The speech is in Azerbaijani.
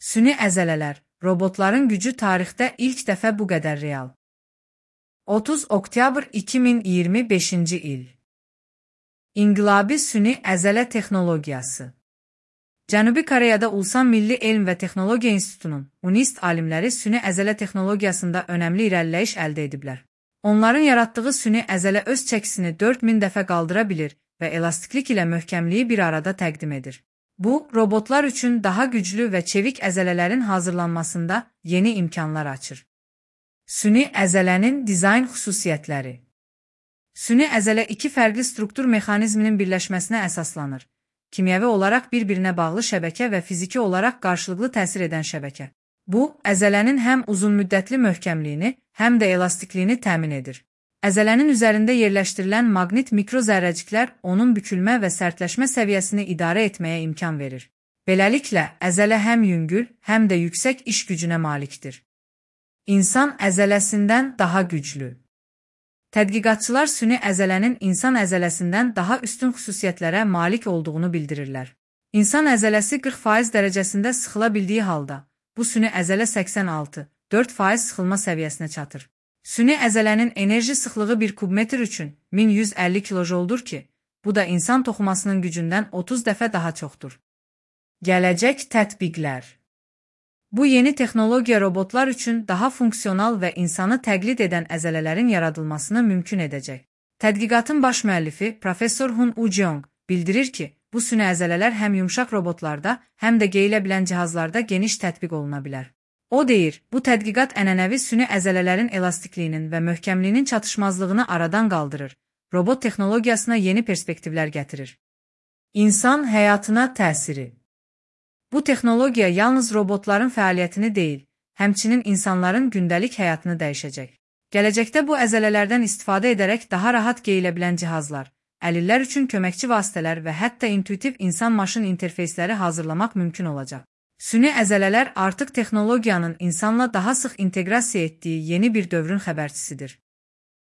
Süni əzələlər, robotların gücü tarixdə ilk dəfə bu qədər real. 30 oktyabr 2025-ci il. İnqilabi süni əzələ texnologiyası. Cənubi Koreyada Ulsan Milli Elm və Texnologiya İnstitutunun UNIST alimləri süni əzələ texnologiyasında önəmli irəliləyiş əldə ediblər. Onların yaratdığı süni əzələ öz çəkisini 4000 dəfə qaldıra bilir və elastiklik ilə möhkəmliyi bir arada təqdim edir. Bu, robotlar üçün daha güclü və çevik əzələlərin hazırlanmasında yeni imkanlar açır. Süni əzələnin dizayn xüsusiyyətləri. Süni əzələ iki fərqli struktur mexanizminin birləşməsinə əsaslanır. Kimyəvi olaraq bir-birinə bağlı şəbəkə və fiziki olaraq qarşılıqlı təsir edən şəbəkə. Bu, əzələnin həm uzunmüddətli möhkəmliyini, həm də elastikliyini təmin edir. Əzələnin üzərində yerləşdirilən maqnit mikrozərrəciklər onun bükülmə və sərtləşmə səviyyəsini idarə etməyə imkan verir. Beləliklə, əzələ həm yüngül, həm də yüksək iş gücünə malikdir. İnsan əzələsindən daha güclü. Tədqiqatçılar süni əzələnin insan əzələsindən daha üstün xüsusiyyətlərə malik olduğunu bildirirlər. İnsan əzələsi 40% dərəcəsində sıxıla bildiyi halda, bu süni əzələ 86,4% sıxılma səviyyəsinə çatır. Süni əzələnin enerji sıxlığı 1 kubmetr üçün 1150 kilojoldur ki, bu da insan toxumasının gücündən 30 dəfə daha çoxdur. Gələcək tətbiqlər. Bu yeni texnologiya robotlar üçün daha funksional və insanı təqlid edən əzələlərin yaradılmasını mümkün edəcək. Tədqiqatın baş müəllifi Professor Hun Ujong bildirir ki, bu süni əzələlər həm yumşaq robotlarda, həm də geyilə bilən cihazlarda geniş tətbiq oluna bilər. O deyir, bu tədqiqat ənənəvi süni əzələlərin elastikliyinin və möhkəmliyinin çatışmazlığını aradan qaldırır, robot texnologiyasına yeni perspektivlər gətirir. İnsan həyatına təsiri. Bu texnologiya yalnız robotların fəaliyyətini deyil, həmçinin insanların gündəlik həyatını dəyişəcək. Gələcəkdə bu əzələlərdən istifadə edərək daha rahat geyilə bilən cihazlar, əlillər üçün köməkçi vasitələr və hətta intuitiv insan-maşın interfeysləri hazırlamaq mümkün olacaq. Süni əzələlər artıq texnologiyanın insanla daha sıx inteqrasiya etdiyi yeni bir dövrün xəbərçisidir.